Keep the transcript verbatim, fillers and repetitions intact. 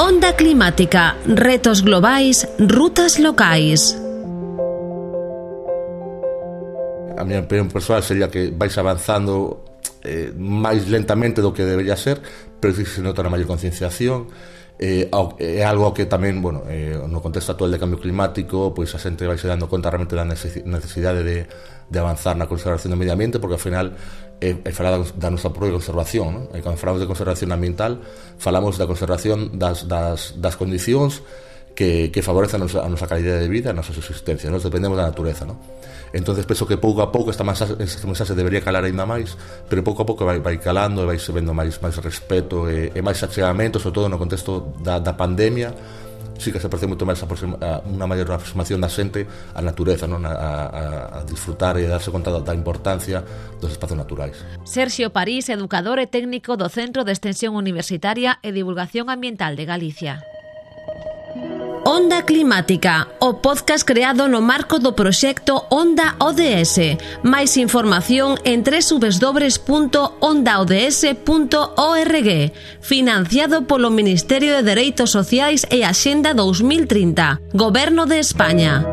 Onda climática, retos globais, rutas locais. A minha opinión persoal sería que vais avanzando eh, máis lentamente do que debería ser, pero sí se nota na maior concienciación. Eh, é algo que tamén, bueno, eh, no contexto actual de cambio climático, pois a xente vai se dando conta realmente da necesidade de, de avanzar na conservación do medio ambiente, porque ao final é, é falar da nosa propia conservación, non? E cando falamos de conservación ambiental, falamos da conservación das, das, das condicións que, que favorecen a nosa, a nosa calidade de vida, a nosa subsistencia. Nos dependemos da natureza, non? Entonces penso que pouco a pouco esta mensaxe, esta mensaxe debería calar ainda máis, pero pouco a pouco vai, vai calando e vai se vendo máis, máis respeto e, e máis achegamento, sobre todo no contexto da, da pandemia. Sí que se parece moito máis unha maior aproximación da xente á natureza, non? A, a, a disfrutar e darse conta da importancia dos espacios naturais. Sergio París, educador e técnico do Centro de Extensión Universitaria e Divulgación Ambiental de Galicia. Onda Climática, o podcast creado no marco do proxecto Onda O D S. Máis información en doble u doble u doble u punto onda o d s punto org. Financiado polo Ministerio de Dereitos Sociais e Axenda dos mil trinta. Goberno de España.